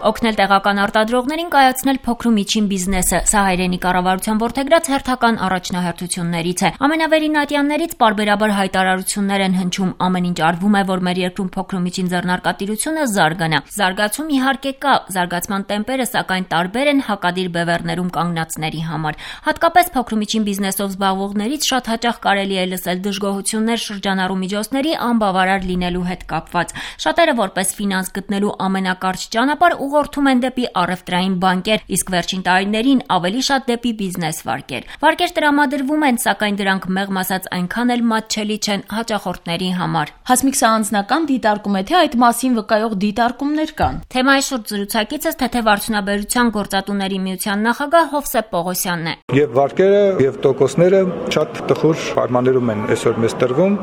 Օգնել տեղական արտադրողներին կայացնել փոքր ու միջին բիզնեսը, սա հայրենի կառավարության որդեգրած հերթական առաջնահերթություններից է։ Ամենավերին ատյաններից պարբերաբար հայտարարություններ են հնչում, ամեն ինչ արվում է, որ մեր երկրում փոքր ու միջին ձեռնարկատիրությունը զարգանա։ Զարգացում իհարկե կա, զարգացման տեմպերը սակայն տարբեր են հակադիր բևեռներում կանգնածների համար։ Հատկապես փոքր ու միջին բիզնեսով զբաղվողներից շատ հաճախ կարելի է լսել դժգոհություններ շրջանառու միջոցների անբավարար լինելու հետ կապված։ Շատերը որպես ֆինանս գտնելու ամենակարճ ճանապարհ ուղղորդում են դեպի առևտրային բանկեր, իսկ վերջին տարիներին ավելի շատ դեպի բիզնես վարկեր։ Վարկեր տրամադրվում են, սակայն դրանք մեղմ ասած այնքան էլ մատչելի չեն հաճախորդների համար։ Հասմիկ սա անձնական դիտարկում է, թե այդ մասին վկայող դիտարկումներ կան։ Թեմայի շուրջ զրուցակիցս Թեթև արդյունաբերության գործատուների միության նախագահ Հովսեփ Պողոսյանն է։ Եվ վարկերը եւ տոկոսները շատ տխուր պայմաններում են այսօր մեզ տրվում։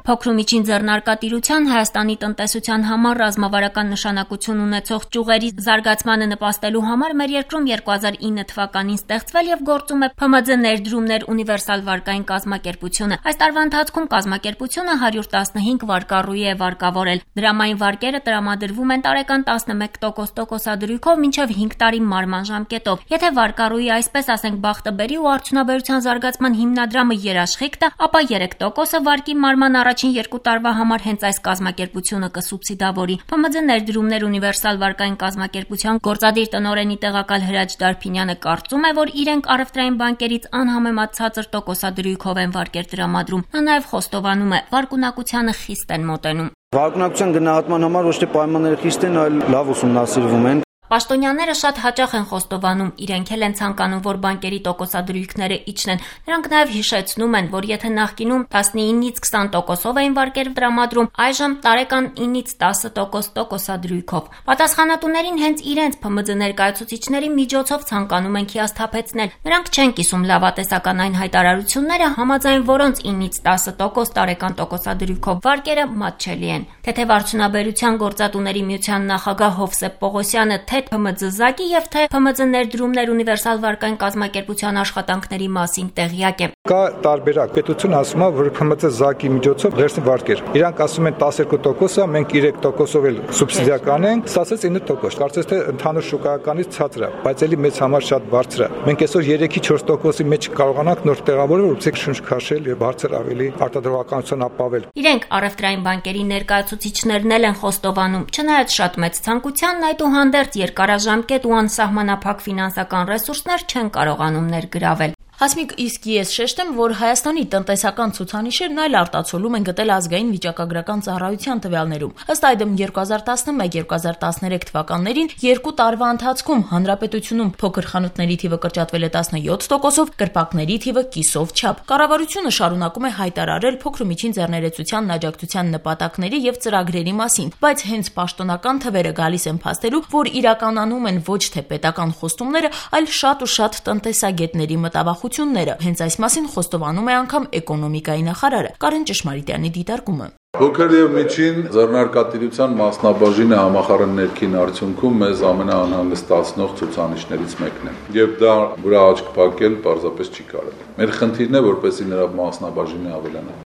Փոքր ու միջին ձեռնարկատիրության Հայաստանի տնտեսության համար ռազմավարական նշանակություն ունեցող ճյուղերի զարգացմանը նպաստելու համար մեր երկրում 2009 թվականին ստեղծվել եւ գործում է ՓՄՁ ներդրումներ ունիվերսալ վարկային կազմակերպությունը։ Այս տարվա ընթացքում կազմակերպությունը 115 վարկառուի է վարկավորել։ Դրամային վարկերը տրամադրվում են տարեկան 11% տոկոսադրույքով մինչև 5 տարի մարման ժամկետով։ Եթե վարկառուի այսպես ասենք բախտը բերի ու արդյունաբերության զարգացման հիմնադրամը երաշխիք տա, ապա 3% վարկի մարման առաջին 2 տարվա համար հենց այս կազմակերպությունը կսուբսիդավորի։ ՓՄԶ ներդրումներ ունիվերսալ վարկային կազմակերպության գործադիր տնօրենի տեղակալ Հրաչ Դարփինյանը կարծում է, որ իրենք առևտրային բանկերից անհամեմատ ցածր տոկոսադրույքով են վարկեր տրամադրում։ Նա նաև խոստովանում է, վարկունակությանը խիստ են մոտենում։ Վարկունակության գնահատման համար ոչ թե պայմանները խիստ են, այլ լավ ուսումնասիրվում են։ Պաշտոնյաները շատ հաճախ են խոստովանում, իրենք էլ են ցանկանում, որ բանկերի տոկոսադրույքները իջնեն։ Նրանք նաև հիշեցնում են, որ եթե նախկինում 19-ից 20%-ով էին վարկեր տրամադրում, այժմ տարեկան 9-ից 10% տոկոսադրույքով։ Պատասխանատուներին հենց իրենց ՓՄԶ ներկայացուցիչների միջոցով ցանկանում են հիասթափեցնել։ Նրանք չեն կիսում լավատեսական այն հայտարարությունները, համաձայն որոնց 9-ից 10% տարեկան տոկոսադրույքով վարկերը մատչելի են։ Թեթև արդյունաբերության գործատուների միության նախագահ Հովսեփ Պողոսյանը թե ՓՄԶ-ԶԱԿ-ի եւ թե ՓՄԶ ներդրումներ ունիվերսալ վարկային կազմակերպության աշխատանքների մասին տեղյակ է։ Կա տարբերակ։ Պետությունը ասում է, որ ՓՄԶ-ԶԱԿ-ի միջոցով վերցնի վարկեր։ Իրանք ասում են 12%-ը, մենք 3%-ով էլ սուբսիդիա կանենք, ստացած 9%։ Կարծես թե ընդհանուր շուկայականից ցածր է, բայց էլի մեծ համար շատ բարձր է։ Մենք այսօր 3-ից 4%-ի մեջ կարողանանք նոր տեղավորել, որպեսզի շունչ քաշել եւ բարձր ավելի արտադրողականություն ապավել։ Իրենք առևտրային բանկերի ներկայացուցիչներն էլ են խոստովանում, չնայած շատ մեծ ցանկությանն այդուհանդերձ երկարաժամկետ ու անսահմանափակ ֆինանսական ռեսուրսներ չեն կարողանում ներգրավել։ Հասմիկ, իսկ ես շեշտեմ, որ Հայաստանի տնտեսական ցուցանիշերն այլ արտացոլում են գտել ազգային վիճակագրական ծառայության տվյալներում։ Ըստ այդմ 2011-2013 թվականներին 2 տարվա ընթացքում հանրապետությունում փոքր խանութների թիվը կրճատվել է 17%-ով, կրպակների թիվը կիսով չափ։ Կառավարությունը շարունակում է հայտարարել փոքր ու միջին ձեռներեցությանն աջակցության նպատակների եւ ծրագրերի մասին, բայց հենց պաշտոնական թվերը գալիս են փաստելու, որ իրականանում են ոչ թե պետական խոստումները, այլ շատ ու շատ տնտեսագետների մտավախ Հենց այս մասին խոստովանում է անգամ էկոնոմիկայի նախարարը Կարեն Ճշմարիտյանի դիտարկումը։ Փոքր եւ միջին ձեռնարկատիրության մասնաբաժինը համախառն ներքին արդյունքում մեզ ամենաանհանգստացնող ցուցանիշներից մեկն է։ Եվ դա վրա աչք փակել պարզապես չի կարելի։ Մեր խնդիրն է, որպեսզի նրա մասնաբաժինը ավելանա։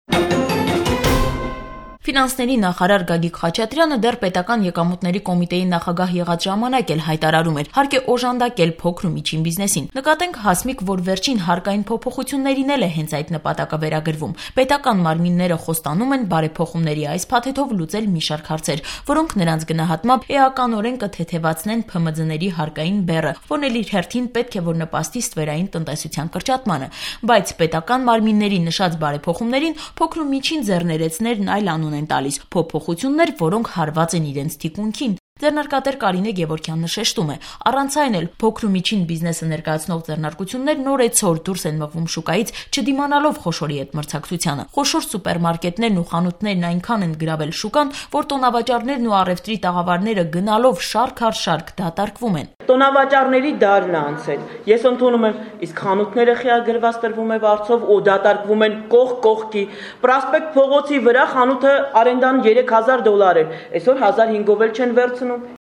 Ֆինանսների նախարար Գագիկ Խաչատրյանը դեռ պետական եկամուտների կոմիտեի նախագահ եղած ժամանակ էլ հայտարարում էր, հարկ է օժանդակել փոքր ու միջին բիզնեսին։ Նկատենք Հասմիկ, որ վերջին հարկային փոփոխություններին էլ է հենց այդ նպատակը վերագրվում։ Պետական մարմինները խոստանում են բարեփոխումների այս փաթեթով լուծել մի շարք հարցեր, որոնք նրանց գնահատմամբ էականորեն կթեթևացնեն ՓՄԶ-ների հարկային բեռը, որն էլ իր հերթին պետք է որ նպաստի ստվերային տնտեսության կրճատմանը։ Բայց պետական մարմինների նշած բարեփոխումներին փոքր ու միջին ձեռներեցներն այլ անուն են տալիս, փոփոխություններ, որոնք հարված են իրենց թիկունքին։ Ձեռնարկատեր Կարինե Գևորգյանն շեշտում է, առանց այն էլ փոքր ու միջին բիզնեսը ներկայացնող ձեռնարկություններ նորեցօր դուրս են մղվում շուկայից, չդիմանալով խոշորի հետ մրցակցությանը։ Խոշոր սուպերմարկետներն ու խանութներն այնքան են գրավել շուկան, որ տոնավաճառներն ու առևտրի տաղավարները գնալով շարք առ շարք դատարկվում են։ Տոնավաճառների դարն է անցել։ Ես ընդունում եմ, իսկ խանութները խիագրված տրվում է վարձով ու դատարկվում են կողք կողքի։ Պրոսպեկտ փողոցի վրա խանութը արենդան $3000 էր, այսօր 1500-ով էլ չեն վերցնում։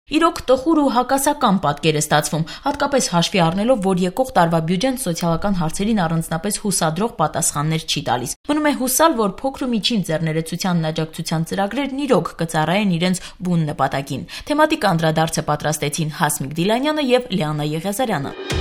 Իրոք տխուր ու հակասական պատկեր է ստացվում, հատկապես հաշվի առնելով, որ եկող տարվա բյուջեն սոցիալական հարցերին առանձնապես հուսադրող պատասխաններ չի տալիս։ Մնում է հուսալ, որ փոքր ու միջին ձեռներեցությանն աջակցության ծրագրերն իրոք կծառայեն իրենց բուն նպատակին։ Թեմատիկ անդրադարձը պատրաստեցին Հասմիկ Դիլանյանը եւ Լիանա Եղիազարյանը։